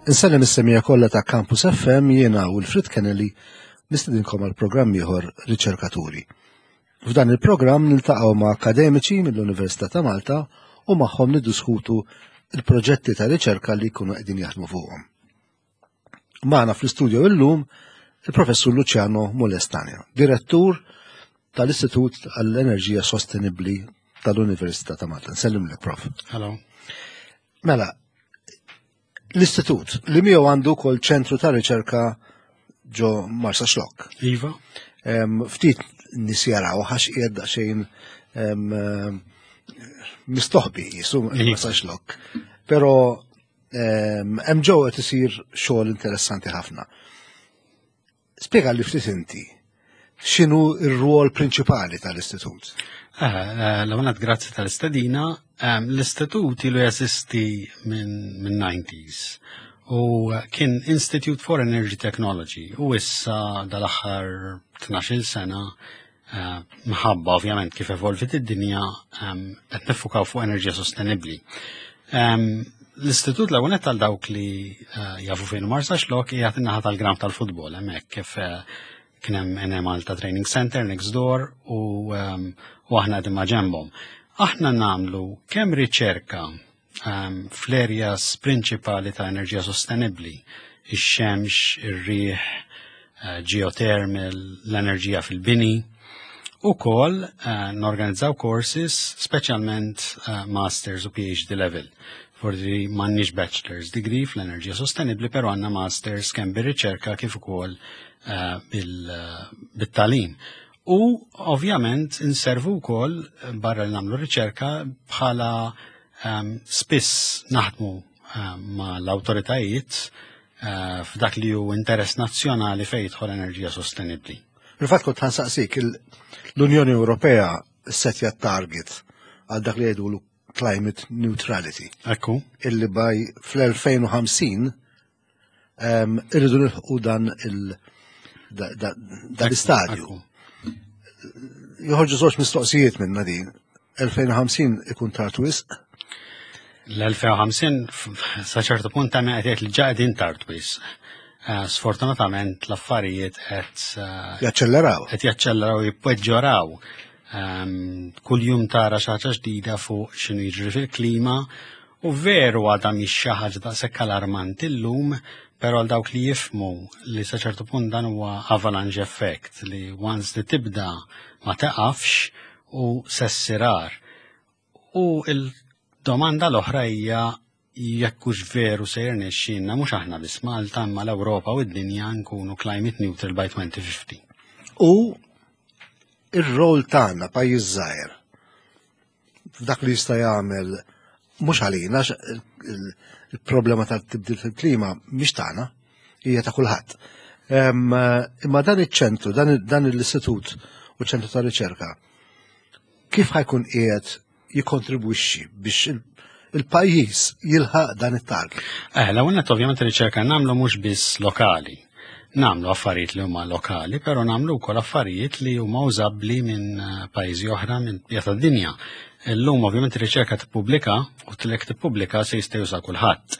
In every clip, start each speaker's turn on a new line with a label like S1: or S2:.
S1: Insellem is-semija kollha ta' Campus FM jiena u l-Frit Kennedy nistedinkom għal programm ieħor Riċerkaturi. F'dan il-programm niltaqgħu ma' akademiċi mill-Università ta' Malta u magħhom niddiskutu il-proġetti ta' riċerka li jkunu qegħdin jaħdmu fuqhom. Magħna fl-istudio illum il-Professur Luciano Molestania, direttur tal-Istitut għall-Enerġija Sostenibbli tal-Università ta' Malta. Nsellimlek, Prof.
S2: Hello.
S1: Mela, l-istitut li miegħu għandu wkoll ċentru ta' riċerka ġo Marsa Xlokk.
S2: Iva.
S1: Ftit nies jaraw għax qiegħed daqsxejn mistoħbi jisu iva. Marsa Xlokk. Però hemm ġew qed isir xogħol interessanti ħafna. Spjega li ftit inti x'inhu r-rwol prinċipali tal-istitut?
S2: Eh, eh, l-għonet grazzi tal-istedina. Ehm, l-istitut ilu jeżisti minn 90s u kien Institute for Energy Technology u issa dal-aħħar 12 sena eh, mħabba ovvjament kif evolvit id-dinja ehm, qed nifukaw fuq enerġija sostenibbli. Ehm, l-istitut l-ewwel għal dawk li eh, jafu fejn Marsa Xlok qiegħed in-naħa tal-gram tal-futbol hemmhekk kif eh, kien hemm NM Malta Training Center next door u, ehm, u aħna qegħdin ma' ġenbhom. Aħna nagħmlu kemm riċerka um, fl-areas prinċipali ta' enerġija sostenibbli, ix-xemx, ir-riħ, eh, geothermal, l-enerġija fil-bini, u kol uh, norganizzaw courses, specialment uh, masters u PhD level. Forsi m'għandniex bachelor's degree fl-enerġija sostenibli, pero għandna masters kemm bir-riċerka kif ukoll uh, bil-talim. U ovvjament inservu wkoll barra li nagħmlu riċerka bħala um, spiss naħdmu um, ma l-awtoritajiet uh, f'dak li hu interess nazzjonali fejn jidħol enerġija sostenibbli.
S1: Fil-fatt kont ħansaqsik l-Unjoni Ewropea setja target għal dak li jgħidu climate neutrality.
S2: Ekku.
S1: Illi by fl-2050 irridu nilħqu dan il dan l-istadju. Joħorġu żewġ mistoqsijiet minna din. 2050 ikun tard wisq?
S2: L-2050 sa ċertu punt ta' qed li ġa qegħdin tard wisq. Eh, sfortunatament l-affarijiet qed
S1: eh, jaċċelleraw.
S2: Qed jaċċelleraw jippeġġoraw. Ehm, kull jum tara xi ħaġa ġdida fuq x'inhu jiġri fil-klima U veru għadha mhix xi ħaġa daqshekk alarmanti llum, però għal dawk li jifhmu li sa ċertu punt dan huwa avalanche effect li once li tibda ma teqafx u se ssir agħar. U il-domanda l-oħra hija jekk hux veru se jirnexxielna mhux aħna biss Malta imma l-Ewropa u d-dinja nkunu climate neutral by 2050.
S1: U ir-rol tagħna pajjiż żgħir f'dak li jista' jagħmel mhux għalina il-problema tal-tibdil fil-klima mhix tagħna, hija ta' kulħadd. Imma dan iċ-ċentru, dan l-istitut u ċentru ta' riċerka, kif ħajkun qiegħed jikkontribwixxi biex il-pajjiż jilħaq dan it-target?
S2: Eh, l-ewwel ovvjament riċerka nagħmlu mhux biss lokali. Nagħmlu affarijiet li huma lokali, però nagħmlu wkoll affarijiet li huma użabbli minn eh, pajjiżi oħra minn bqija tad-dinja. Illum ovvjament ir-riċerka tippubblika u tilek tippubblika se jista' juża kulħadd.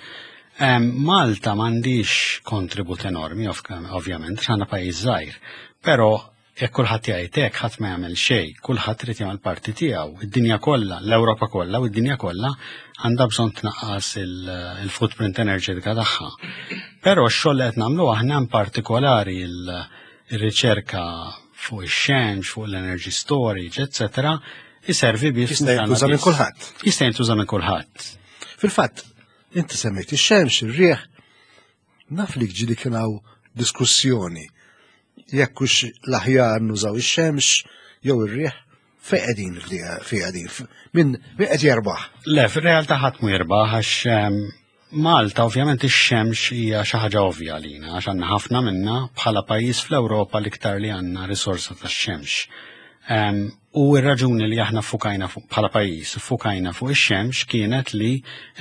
S2: Malta m'għandix kontribut enormi ovvjament, għandna pajjiż żgħir, però Jekk kulħadd jgħid hekk ħadd ma jagħmel xejn, kulħadd irid jagħmel parti tiegħu. Id-dinja kollha, l-Ewropa kollha u d-dinja kollha għandha bżonn tnaqqas il-footprint enerġetika tagħha. Però x-xogħol li qed nagħmlu aħna in partikolari il-riċerka fuq ix-xemx, fuq l-energy storage, eccetera, iservi biex
S1: jista' jintuża minn kulħadd.
S2: Jista' jintuża minn kulħadd.
S1: Fil-fatt, inti semmejt ix-xemx, ir-riħ, Naf li ġili kien hawn diskussjoni jekk hux l-aħjar nużaw ix-xemx jew ir-riħ fejn qegħdin fejn qegħdin min qed jerbaħ.
S2: Le, fir-realtà ħadd mu jirbaħ għax ehm, Malta ovvjament ix-xemx hija xi ħaġa ovvja għalina għax għandna ħafna minna bħala pajjiż fl-Ewropa l-iktar li għandna risorsa tax-xemx. Ehm, u r-raġuni li aħna fukajna bħala pajjiż fukajna fuq ix-xemx kienet li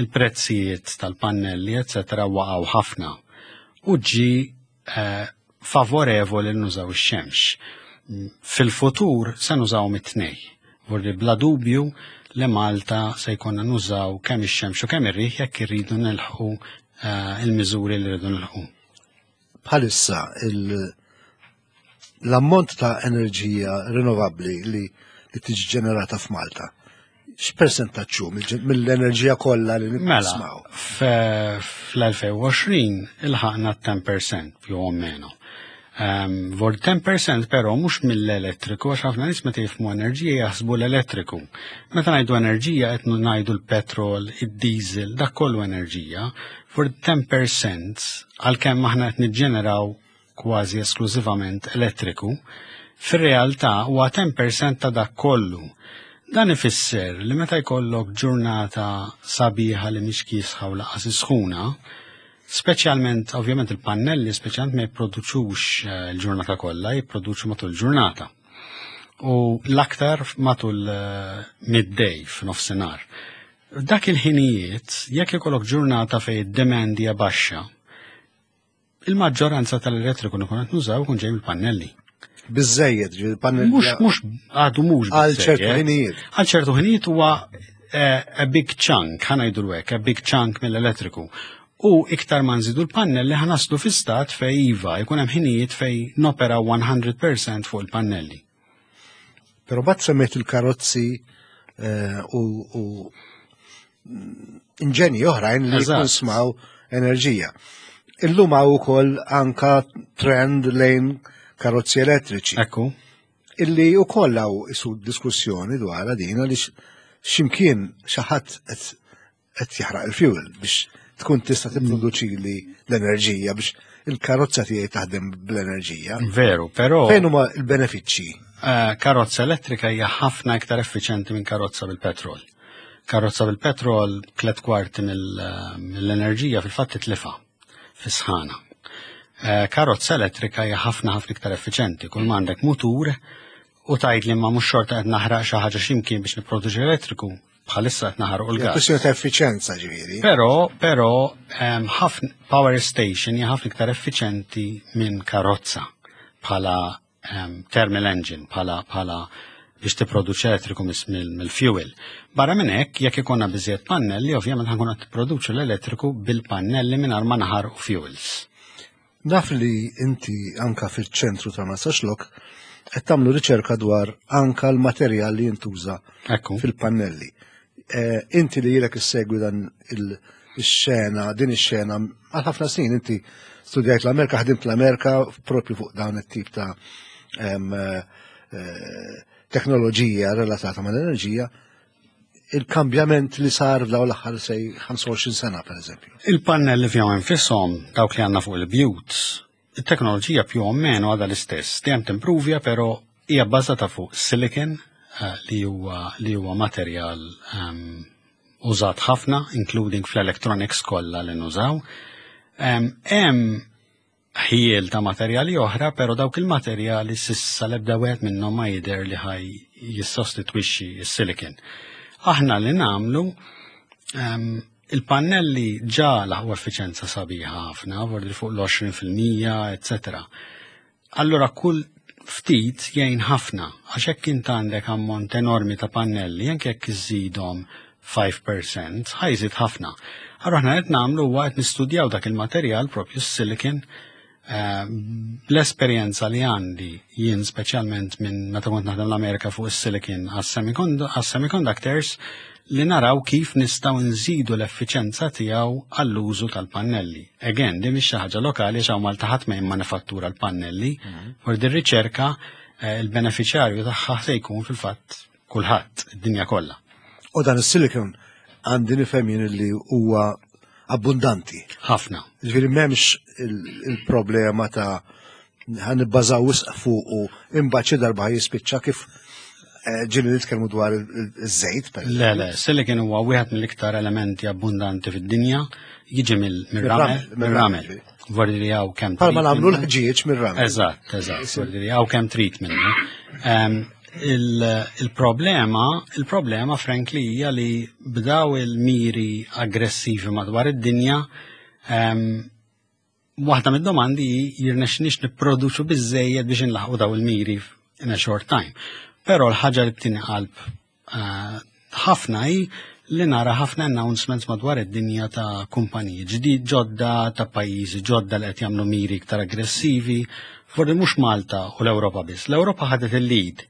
S2: l-prezzijiet tal-pannelli eċetera waqgħu ħafna u ġi eh, favorevoli li nużaw ix-xemx. Fil-futur se nużaw mit-tnej. Vordi bla dubju li Malta se jkollna nużaw kemm ix-xemx u kemm ir-riħ jekk irridu nilħqu il-miżuri li rridu nilħu.
S1: Bħalissa l-ammont ta' enerġija rinnovabbli li tiġi ġenerata f'Malta, x'persentaġġ hu mill-enerġija kollha li
S2: Mela,
S1: nismaw?
S2: fl-2020 ilħaqna 10% più o meno. Vor 10% però mhux mill-elettriku, għax ħafna nies meta jifhmu enerġija jaħsbu l-elettriku. Meta ngħidu enerġija qed ngħidu l-petrol, id-diesel, dak kollu enerġija. For 10% għalkemm aħna qed niġġeneraw kważi esklużivament elettriku, fir-realtà huwa 10% ta' dak kollu. Dan ifisser li meta jkollok ġurnata sabiħa li mhix kiesħa u lanqas sħuna, speċjalment ovvjament il-pannelli speċjalment ma jipproduċux il-ġurnata kollha, jipproduċu matul il-ġurnata. U l-aktar matul midday f'nofsinhar. Dak il-ħinijiet, jekk ikollok ġurnata fejn id-demand hija baxxa, il-maġġoranza tal-elettriku li nkunu qed nużaw ikun ġej mill-pannelli.
S1: Biżejjed, ġifieri pannelli.
S2: Mhux għadu mhux
S1: Għal ċertu
S2: biżejjed.
S1: ħinijiet.
S2: Għal ċertu ħinijiet huwa a big chunk, ħa ngħidu hekk, a big chunk mill-elettriku. U iktar ma nżidu l-pannelli ħa naslu fi stat fej iva, jkun hemm ħinijiet fej nopera 100% fuq il-pannelli.
S1: Però mbagħad semmejt il-karozzi u inġenji oħrajn li jikkonsmaw enerġija. Illum hawn ukoll anka trend lejn karozzi elettriċi. Illi wkoll hawn isu diskussjoni dwar din għaliex x'imkien xi ħadd qed jaħraq il-fuel biex tkun tista' tipproduċi li l-enerġija biex il-karozza tiegħi taħdem bl-enerġija.
S2: Veru, però
S1: Fejn huma l-benefiċċji?
S2: Karozza elettrika hija ħafna iktar effiċjenti minn karozza bil-petrol. Karozza bil-petrol 3/4 mill-enerġija fil-fatt titlifa fis-sħana. Karozza elettrika hija ħafna ħafna iktar effiċjenti. Kull ma għandek mutur u tgħid li ma mhux xorta qed naħraq xi ħaġa x'imkien biex nipproduċi elettriku, bħalissa qed naħarqu
S1: Hija
S2: l-gas.
S1: kwestjoni ta' effiċenza ġifieri.
S2: Però ħafna power station hija ħafna iktar effiċenti minn karozza bħala thermal engine, bħala biex tipproduċi elettriku mill-fuel. Barra minn hekk, jekk ikollna biżejjed pannelli, ovvjament ħa nkunu qed tipproduċu l-elettriku bil-pannelli mingħajr ma naħarqu fuels.
S1: Naf li inti anka fil-ċentru ta' Marsaxlokk qed tagħmlu riċerka dwar anka l-materjal li jintuża fil-pannelli. Inti li ilek issegwi dan il-xena, din ix-xena għal ħafna snin, inti studjajt l-Amerika, ħdimt l-Amerika propju fuq dawn it-tip ta' teknoloġija relatata mal-enerġija, il-kambjament li sar f'dawn l-aħħar sej 25 sena, per eżempju.
S2: Il-pannelli fihom infisom, dawk li għandna fuq il-bjut, il-teknoloġija più o meno għadha l-istess, dejjem timpruvja, però hija bbażata fuq silicon li huwa materjal użat ħafna, including fl-electronics kollha li nużaw. Hemm ħiel ta' materjali oħra, però dawk il-materjali sissa l-ebda wieħed minnhom ma jidher li ħaj jissostitwixxi s-silicon. Aħna li nagħmlu il-pannelli ġa laħqu effiċenza sabiħa ħafna, vordi fuq l-għoxrin fil-mija, eccetera. Allora kull ftit jgħin ħafna, għax hekk int għandek ammont enormi ta' pannelli, anke jekk iżidhom 5%, ħajżid ħafna. Allora aħna qed nagħmlu huwa qed nistudjaw dak il-materjal propju s-silicon, bl-esperjenza li għandi jien speċjalment minn meta kont naħdem l-Amerika fuq is-silicon għas-semiconductors, li naraw kif nistgħu nżidu l-effiċenza tiegħu għall-użu tal-pannelli. Again, din mhix xi ħaġa lokali għax hawn Malta ħadd ma jimmanifattura l-pannelli, u din riċerka il-beneficjarju tagħha se jkun fil-fatt kulħadd, id-dinja kollha.
S1: U dan is-silicon għandi nifhem jien li huwa abbundanti.
S2: Ħafna.
S1: Ġifieri m'hemmx il-problema ta' ħa nibbażaw wisq fuq u imbagħad xi darba jispiċċa kif ġieli nitkellmu dwar iż-żejt, per
S2: Le, le, silicon huwa wieħed mill-iktar elementi abbundanti fid-dinja, jiġi mir-ramel,
S1: Mir-ramel,
S2: mir-ramel. Vordi li hawn kemm
S1: Bħalma
S2: trid
S1: nagħmlu
S2: minnu.
S1: l-ħġieġ mir-ramel.
S2: Eżatt, eżatt, vordi li hawn kemm trid minnu. Il-problema, frankly, hija li bdaw il-miri aggressivi madwar id-dinja, waħda mid-domandi hi jirnexxniex nipproduċu biżejjed biex inlaħqu daw il-miri in a short time. Però l-ħaġa li btini qalb ħafna hi li nara ħafna announcements madwar id-dinja ta' kumpaniji ġdid ġodda, ta' pajjiżi ġodda li qed jagħmlu miri iktar aggressivi, forsi mhux Malta u l-Ewropa biss. L-Ewropa ħadet il-lead.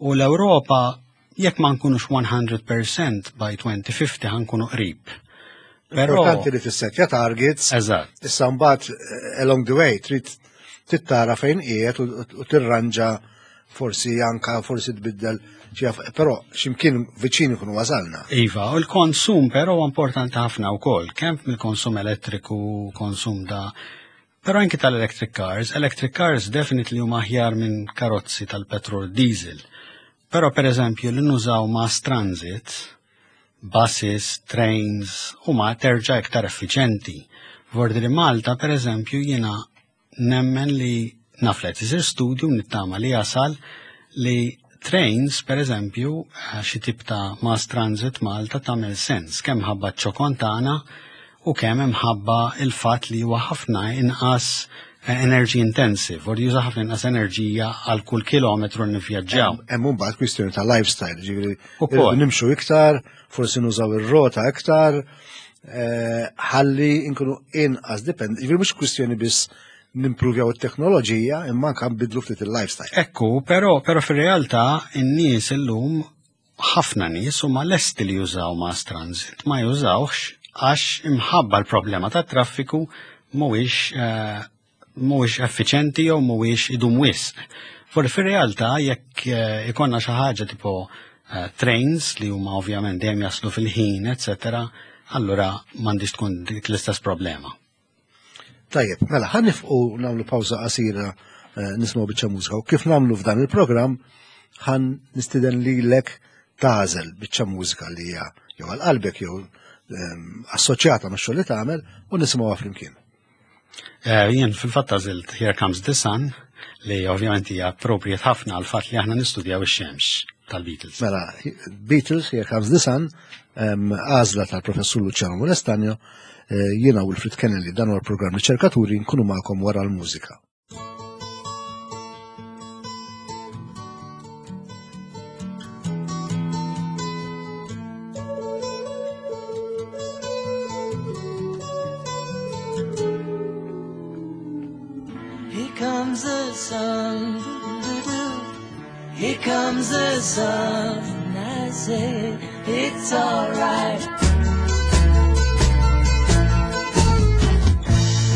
S2: U l-Ewropa jekk ma nkunux 100% by 2050 ħankunu qrib.
S1: Però Importanti li tissetja targets.
S2: Eżatt.
S1: Issa mbagħad along the way trid tittara fejn qiegħed u tirranġa forsi anka forsi tbiddel però x'imkien viċin ikunu wasalna.
S2: Iva, u l-konsum però importanti ħafna wkoll, kemm mill-konsum elettriku, konsum da Però anki tal-electric cars, electric cars definitely huma aħjar minn karozzi tal-petrol diesel. Però per eżempju li nużaw mass transit, buses, trains, huma terġa' iktar effiċenti. Vordi li Malta, per eżempju, jiena nemmen li naf li qed isir studju nittama li jasal li trains, per eżempju, xi tip ta' mass transit Malta tagħmel sens kemm ħabba ċ-ċokon tagħna u kemm imħabba il-fatt li huwa ħafna inqas energy intensive, u juża ħafna inqas enerġija għal kull kilometru nivvjaġġaw.
S1: Hemm imbagħad kwistjoni ta' lifestyle, ġifieri nimxu iktar, forsi nużaw ir-rota iktar, ħalli nkunu inqas dipend, ġifieri mhux kwistjoni biss nimpruvjaw it-teknoloġija imma anke nbidlu ftit il-lifestyle.
S2: Ekku, però fir-realtà in-nies illum ħafna nies huma lesti li jużaw mass transit, ma jużawx għax imħabba l-problema ta' traffiku mhuwiex effiċenti jew mhuwiex idum wisq. For fir-realtà jekk ikonna xi ħaġa tipo trains li huma ovvjament dejjem jaslu fil-ħin, eċetera, allura m'għandix tkun dik l-istess problema.
S1: Tajjeb, mela ħa nifqu nagħmlu pawża qasira nisimgħu biċċa mużika u kif nagħmlu f'dan il-programm ħan nistieden lilek tagħżel biċċa mużika li hija jew għal qalbek jew assoċjata max-xogħol li tagħmel u nisimgħuha flimkien.
S2: Jien fil-fatt għażilt Here Comes the Sun li ovvjament hija appropriate ħafna għal fatt li aħna nistudjaw ix-xemx tal-Beatles.
S1: Mela, Beatles, Here Comes the Sun, għażla tal-Professur Luciano Molestagno, jiena Wilfred Kennelly, dan huwa l-programm Riċerkaturi, nkunu magħkom wara l-mużika.
S3: Here comes the sun, here comes the sun, I say it's all right.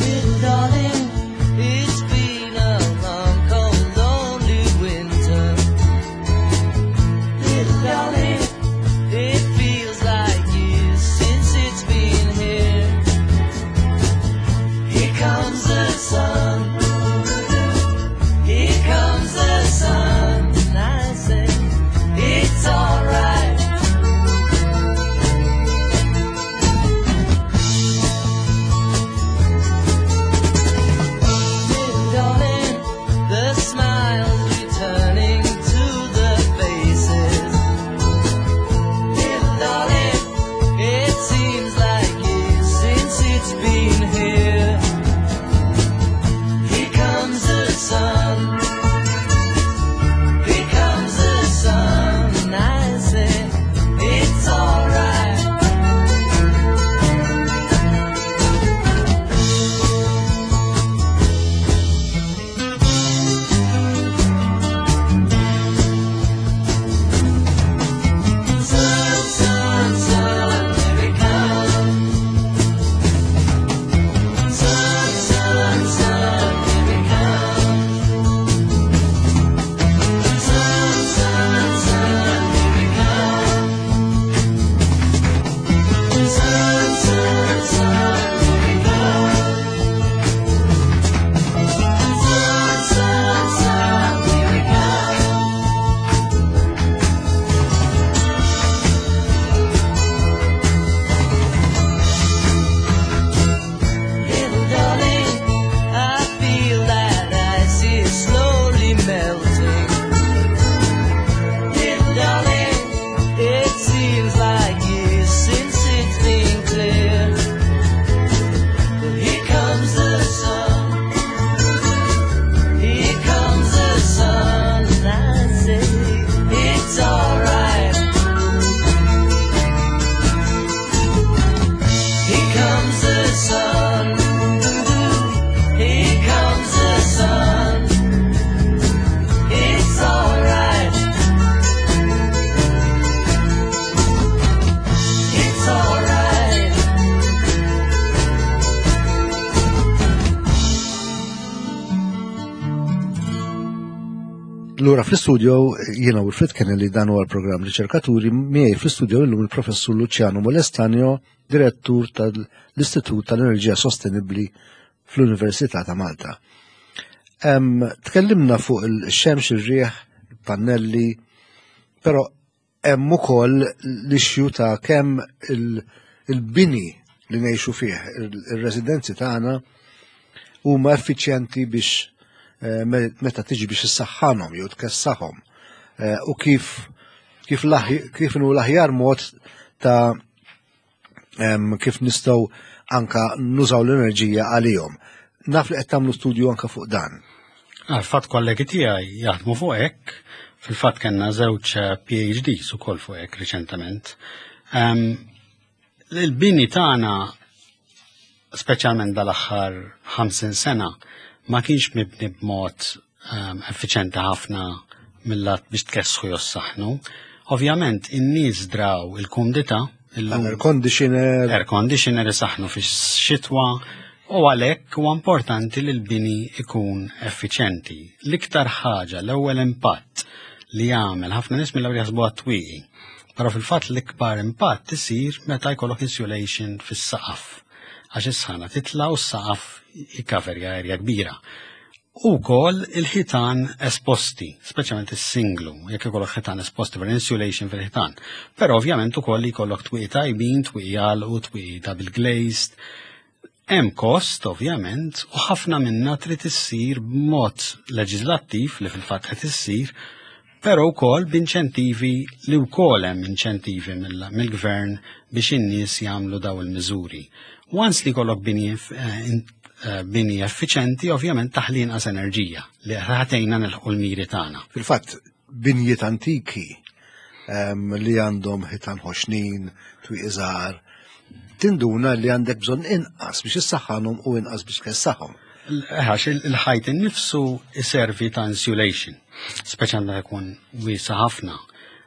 S3: Little darling, it's been a long, cold, lonely winter. Little darling, it feels like years since it's been here. Here comes the sun, here comes the sun, I say it's all right.
S1: Lura fl-istudio jiena Wilfred Kennelly, dan huwa l-programm Riċerkaturi, miegħi fl-istudio illum il-Professur Luciano Molestanio, direttur tal-Istitut tal-Enerġija Sostenibbli fl-Università ta' Malta. Tkellimna fuq il-xemx, ir-riħ, il-pannelli, però hemm ukoll l-issue ta' kemm il-bini li ngħixu fih, ir-residenzi tagħna huma effiċjenti biex eh, meta tiġi biex issaħħanhom jew tkessaħhom eh, u kif kif kif inhu l-aħjar mod ta' kif nistgħu anka nużaw l-enerġija għalihom. Naf li qed tagħmlu studju anka fuq dan.
S2: Għal-fatt kollegi tiegħi jaħdmu fuq hekk, fil-fatt kellna żewġ eh, PhDs ukoll fuq hekk riċentement. Il-bini tagħna speċjalment dal-aħħar 50 sena ma kienx mibni b'mod effiċenti ħafna mill-lat biex tkessħu jew saħnu. Ovvjament in-nies draw il-kumdità.
S1: Air conditioner.
S2: Air conditioner isaħnu fix-xitwa u għalhekk huwa importanti li l-bini ikun effiċenti. L-iktar ħaġa, l-ewwel impatt li jagħmel ħafna nies mill-ewwel jaħsbu għat-twieqi. Però fil-fatt l-ikbar impatt isir meta jkollok insulation fis-saqaf. Għax is-sħana titla' u s-saqaf jikkaverja erja kbira. U wkoll il-ħitan esposti, speċjalment is-singlu, jekk ikollok ħitan esposti per insulation fil-ħitan. Però ovvjament ukoll li jkollok twieqi tajbin, twieqi għalqu, twieqi double glazed. Hemm kost ovvjament u ħafna minna trid issir b'mod leġislattiv li fil-fatt qed issir, però wkoll b'inċentivi li wkoll hemm inċentivi mill-gvern biex in-nies jagħmlu daw il-miżuri. Once li jkollok bini eh, eh, bini effiċenti, ovvjament taħli inqas enerġija li ħatejna nilħqu l-miri tagħna.
S1: Fil-fatt, binjiet antiki ehm, li għandhom ħitan ħoxnin, twieq iżgħar, tinduna li għandek bżonn inqas biex issaħħanhom u inqas biex tkessaħhom.
S2: Għax il-ħajt innifsu iservi ta' insulation, speċjalment meta jkun wiesa ħafna.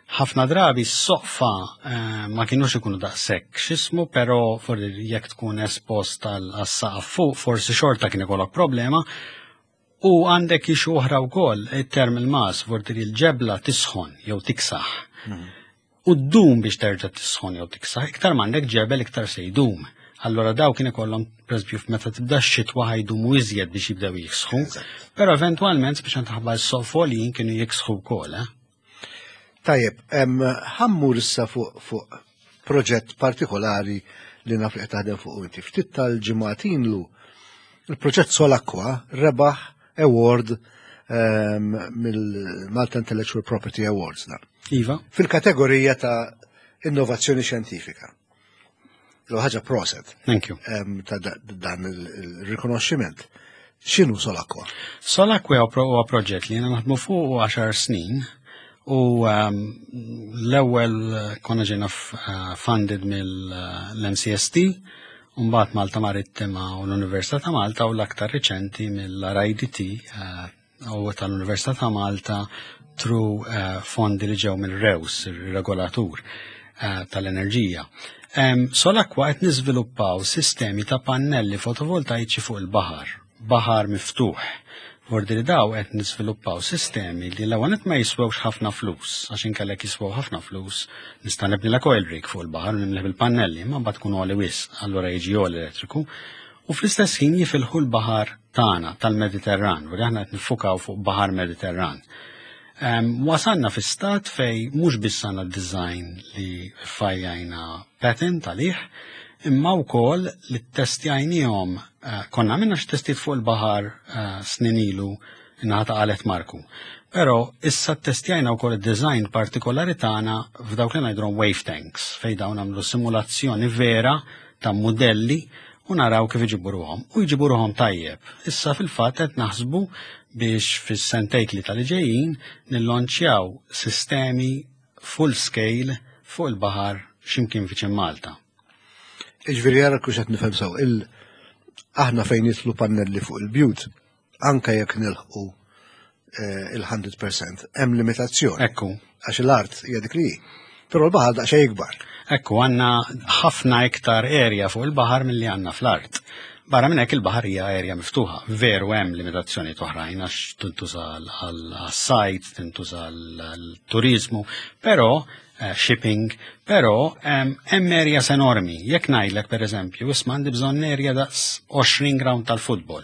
S2: Ħafna drabi s-soqfa eh, ma kienux ikunu daqshekk x'ismu, però forsi jekk tkun espost għas-saqaf fuq, forsi xorta kien ikollok problema. U għandek ixu oħra wkoll, it-term il-mas, forsi il-ġebla tisħon jew tiksaħ. U ddum biex terġa' tisħon jew tiksaħ, iktar m'għandek ġebel iktar se jdum. Allora daw kien ikollhom pereżempju meta tibda x-xitwa ħajdumu iżjed biex jibdew jiksħu. Però eventwalment biex taħba s-sofolin kienu jiksħu wkoll. Eh?
S1: Tajjeb, ħammur issa fuq fu proġett partikolari li naf li qed taħdem fuq inti. Ftit tal-ġimgħat ilu il-proġett Solakwa rebaħ award mill-Malta Intellectual Property Awards. Da.
S2: Iva.
S1: Fil-kategorija ta' innovazzjoni xjentifika. L ħaġa proset.
S2: Thank you.
S1: Ta' dan il-rikonoxximent. X'inhu Solakwa?
S2: Solakwa huwa proġett li jiena naħdmu fuq 10 snin u l-ewwel konna ġejna eh, funded mill-MCST, mbagħad Malta Marittima u l-Università ta' Malta u l-aktar riċenti mill-RIDT eh, u tal-Università ta' Malta tru eh, fondi li ġew mill-REWS, il-regolatur eh, tal-enerġija. Solakwa qed niżviluppaw sistemi ta' pannelli fotovoltaiċi fuq il-baħar, baħar miftuħ. Vordi li daw qed niżviluppaw sistemi li l-ewwel ma jiswewx ħafna flus, għax inkellek jiswew ħafna flus, nista' nibni la coil rig fuq il-baħar u nimleh bil-pannelli, ma mbagħad tkun għoli wisq, allura jiġi għoli elettriku. U fl-istess ħin jifilħu l-baħar tagħna tal-Mediterran, u aħna qed niffukaw fuq baħar Mediterran. Wasanna fi stat fej mhux biss għandna design li fajjajna patent għalih, imma wkoll li ttestjajniehom eh, konna għamilna xi testijiet fuq il-baħar eh, snin ilu naħa ta' qalet Marku. Però issa ttestjajna wkoll id-design partikolari tagħna f'dawk li ngħidulhom wave tanks fejn dawn għamlu simulazzjoni vera ta' mudelli u naraw kif iġibu ruħhom. U jġibu ruħhom tajjeb. Issa fil-fatt qed naħsbu biex fis-sentejn tlieta li ġejjin nillonċjaw sistemi full scale fuq il-baħar x'imkien viċin Malta.
S1: Iġveri jara kux qed nifhem sew, il aħna fejn jitlu pannelli fuq il-bjut, anka jekk nilħqu eh, il-100% hemm limitazzjoni.
S2: Ekku.
S1: Għax l-art hija dik li hi. Però l-baħar daqsxejn ikbar.
S2: Ekku, għandna ħafna iktar area fuq il-baħar milli għandna fl-art. Barra minn hekk il-baħar hija erja miftuħa. Veru hemm limitazzjoni oħrajn għax tintuża għas-sajt, tintuża għal-turizmu, però eh, shipping, però hemm areas enormi. Jekk ngħidlek pereżempju, isma' għandi bżonn erja daqs 20 ground tal-futbol.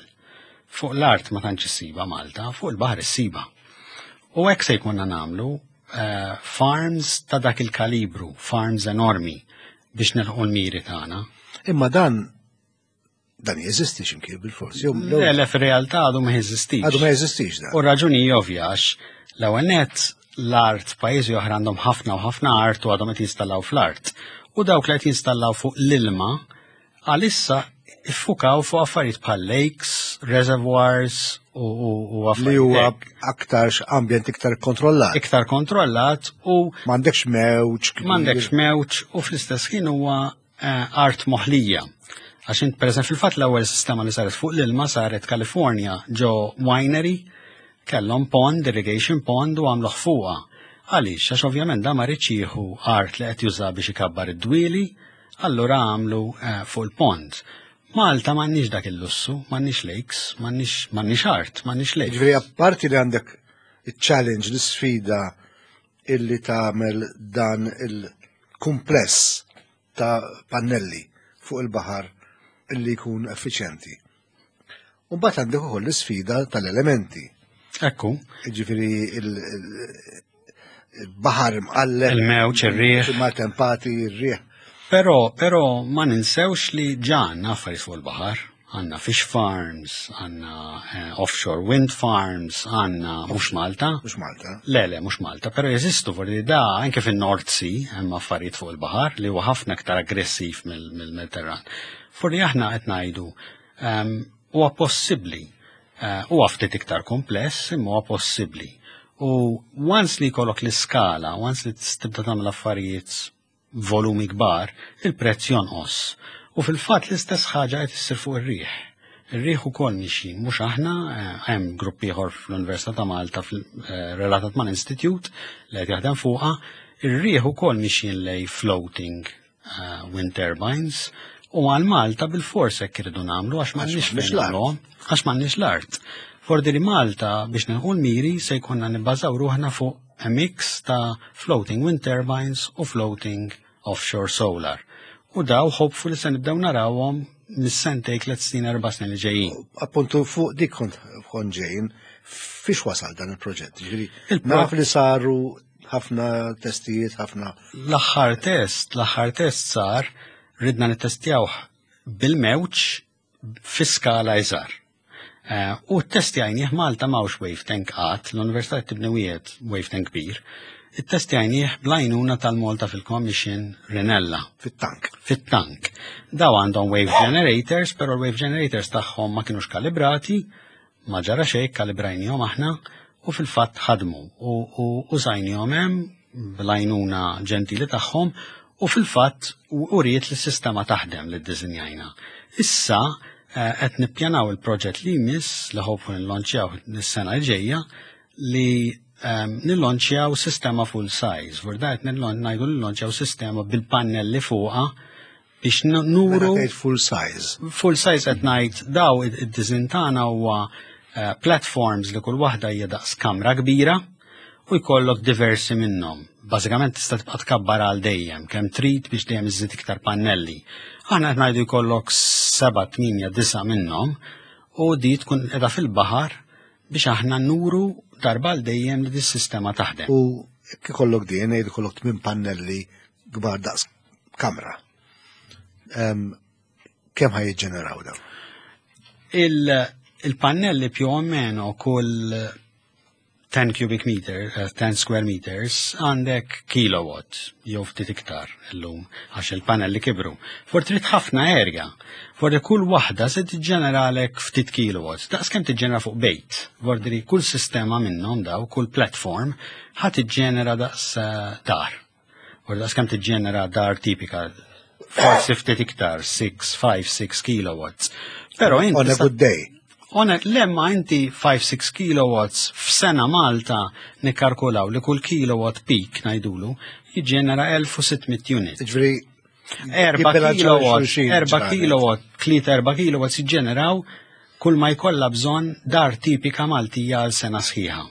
S2: Fuq l-art ma tantx issiba Malta, fuq il-baħar issiba. U hekk se jkunna nagħmlu eh, farms ta' dak il-kalibru, farms enormi biex nilħu l-miri tagħna.
S1: Imma dan dan jeżisti x'imkien bil-fors.
S2: Le, le fir-realtà għadu ma jeżistix.
S1: Għadu ma jeżistix dan.
S2: U raġuni ovvja għax l-ewwel nett l-art pajjiżi oħra għandhom ħafna u ħafna art u għadhom qed jinstallaw fl-art. U dawk li qed jinstallaw fuq l-ilma għalissa iffukaw fuq affarijiet bħal lakes, reservoirs u, u, u
S1: Li huwa
S2: affarijiet
S1: aktarx ambjent iktar kontrollat.
S2: iktar kontrollat u
S1: M'għandekx mewġ. kbir.
S2: m'għandekx mewġ u fl-istess ħin huwa eh, art moħlija. Għax int pereżempju fil-fatt l-ewwel sistema li saret fuq l-ilma saret Kalifornja ġo winery kellhom pond, irrigation pond u għamluh fuqha. Għaliex, għax ovvjament da ma riedx jieħu art li qed juża biex ikabbar id-dwieli, allura għamlu eh, fuq il-pond. Malta m'għandniex dak il-lussu, m'għandniex lakes, m'għandniex m'għandniex art, m'għandniex lakes.
S1: Ġifieri apparti li għandek il-challenge, l-sfida illi tagħmel dan il-kumpless ta' pannelli fuq il-baħar illi jkun effiċjenti. U mbagħad għandek ukoll l-isfida tal-elementi.
S2: Ekku,
S1: Ġifieri il-baħar mqalleb,
S2: il-mewġ, ir-riħ.
S1: maltempati, ir-riħ.
S2: Però, però ma ninsewx li ġa għandna affarijiet fuq il-baħar. Għandna fish farms, għandna eh, offshore wind farms, għandna mhux Malta.
S1: Mhux Malta.
S2: Le, le, mhux Malta, però jeżistu forsi da anke fin-North Sea hemm affarijiet fuq il-baħar li huwa ħafna aktar aggressiv mill-Mediterran. Forsi aħna qed ngħidu ehm, huwa possibbli, eh, huwa ftit iktar kompless, imma huwa possibbli. U once li jkollok l-iskala, once li tibda tagħmel affarijiet volumi kbar, il-prezz jonqos. U fil-fatt l-istess ħaġa qed issir fuq ir-riħ. Ir-riħ ukoll mixjin, mhux aħna, eh, hemm grupp ieħor fl-Università ta' Malta fil- eh, relatat mal-Institute li qed jaħdem fuqha, ir-riħ ukoll mixjin lej floating eh, wind turbines u għal Malta bil-fors hekk irridu nagħmlu għax m'għandniex
S1: m'għandniex
S2: fejn
S1: l-art.
S2: nagħmluhom, għax m'għandniex l-art. Fordi li Malta biex nilħu l-miri se jkollna nibbażaw ruħna fuq a mix ta' floating wind turbines u floating offshore solar. U daw hopefully se nibdew narawhom mis-sentej 3 snin 4 snin li ġejjin.
S1: Appuntu fuq dik kont kont ġejjin, fiex wasal dan il-proġett? Ġifieri,
S2: Il-pro-
S1: naf li saru ħafna testijiet, ħafna
S2: L-aħħar test, l-aħħar test sar ridna nittestjawh bil-mewġ fi skala iżgħar. Eh, U t-testjajnieh Malta m'hawnx wave tank qatt, l-Università tibni wieħed wave tank kbir. It-testjajnieh bl-għajnuna tal-Malta fil-Commission Rinella
S1: fit-tank.
S2: fit-tank. Daw għandhom wave generators, pero l-wave generators tagħhom ma kienux kalibrati, ma ġara xejn kalibrajnihom aħna u fil-fatt ħadmu u, u użajnihom hemm bl-għajnuna ġentili tagħhom u fil-fatt u uriet li s-sistema taħdem li ddisinjajna. Issa eh, qed nippjanaw il-proġett li jmiss li hopefully nillonċjaw is-sena l ġejja li um, nillonċjaw sistema full size. Vorda qed ngħidu nillonċjaw sistema bil-pannelli fuqha biex nuru
S1: Meta tgħid full size.
S2: full size qed ngħid daw id-design tagħna huwa eh, platforms li kull waħda hija daqs kamra kbira u jkollok diversi minnhom. Bażikament tista' tibqa' tkabbar għal dejjem, kemm trid biex dejjem iżid iktar pannelli. Aħna qed ngħidu jkollok 7, 8, 9 minnhom u di tkun qiegħda fil-baħar biex aħna nuru darba għal dejjem li dis-sistema taħdem.
S1: U jekk ikollok din, ngħid ikollok tmien pannelli kbar daqs kamra. Em, Kemm ħa jiġġeneraw dawn?
S2: Il- Il-pannelli più o meno kull 10 cubic meter, eh, 10 square meters, għandek kilowatt, jew ftit iktar illum, għax il-pannelli kibru. For trid ħafna erja, for kull waħda se tiġġeneralek ftit kilowatts, daqs kemm tiġġenera fuq bejt. Vordri kull sistema minnhom daw, kull platform, ħa tiġġenera daqs eh, dar. U daqs kemm tiġġenera dar tipika, forsi ftit iktar, 6, 5, 6 kilowatts. Però inti
S1: On a
S2: tista'
S1: good day.
S2: One, lemma inti 5-6 kilowatts f'sena Malta nikkalkulaw li kull kilowatt peak ngħidulu jiġġenera 1600 unit.
S1: Ġifieri
S2: 4 kilowatt, 4 kilowatt, 3 4 kilowatt jiġġeneraw kull ma jkollha bżonn dar tipika Maltija għal sena sħiħa.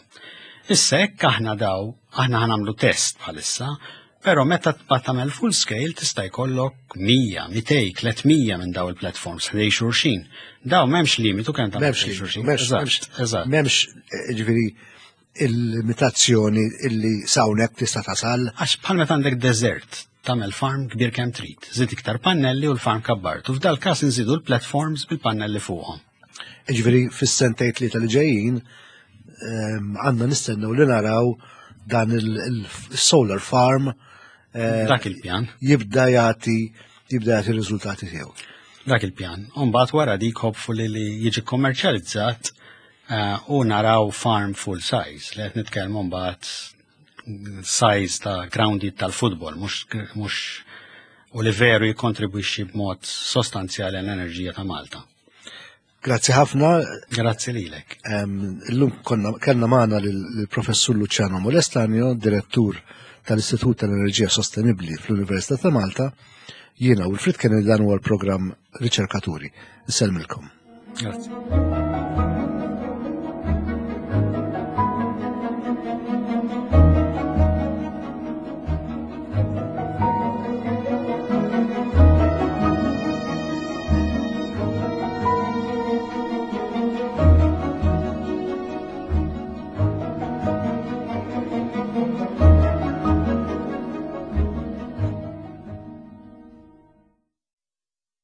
S2: Issa hekk aħna daw, aħna ħanamlu test bħalissa, però meta tbagħad tagħmel full scale tista' jkollok 100, 200, 300 minn daw il-platforms ħdej xulxin. Daw m'hemmx limitu kemm tagħmel
S1: ħdej xulxin. Eżatt. M'hemmx eh, ġifieri il-limitazzjoni illi sawnek tista' tasal.
S2: Għax bħal meta għandek desert tagħmel farm kbir kemm trid, żid iktar pannelli u l-farm kabbart. U f'dal każ inżidu l-platforms bil-pannelli fuqhom.
S1: Ġifieri fis-sentejn tlieta li ġejjin ehm, għandna nistennew li naraw dan il-solar farm
S2: eh, dak il-pjan
S1: jibda jagħti jibda jagħti riżultati tiegħu.
S2: Dak il-pjan. Umbagħad wara dik hopefully li jiġi kommerċjalizzat eh, u naraw farm full size li qed nitkellmu mbagħad size ta' grounded tal-futbol, mhux u li veru jikkontribwixxi b'mod sostanzjali għall-enerġija ta' Malta.
S1: Grazzi ħafna.
S2: Grazzi lilek.
S1: Illum konna kellna magħna lill-Professur Luciano Molestanio, direttur tal-Istitut tal-Enerġija Sostenibbli fl-Università ta' Malta. Jiena u l-Frit kien dan huwa l-programm Riċerkaturi. Insellmilkom.
S2: Grazzi.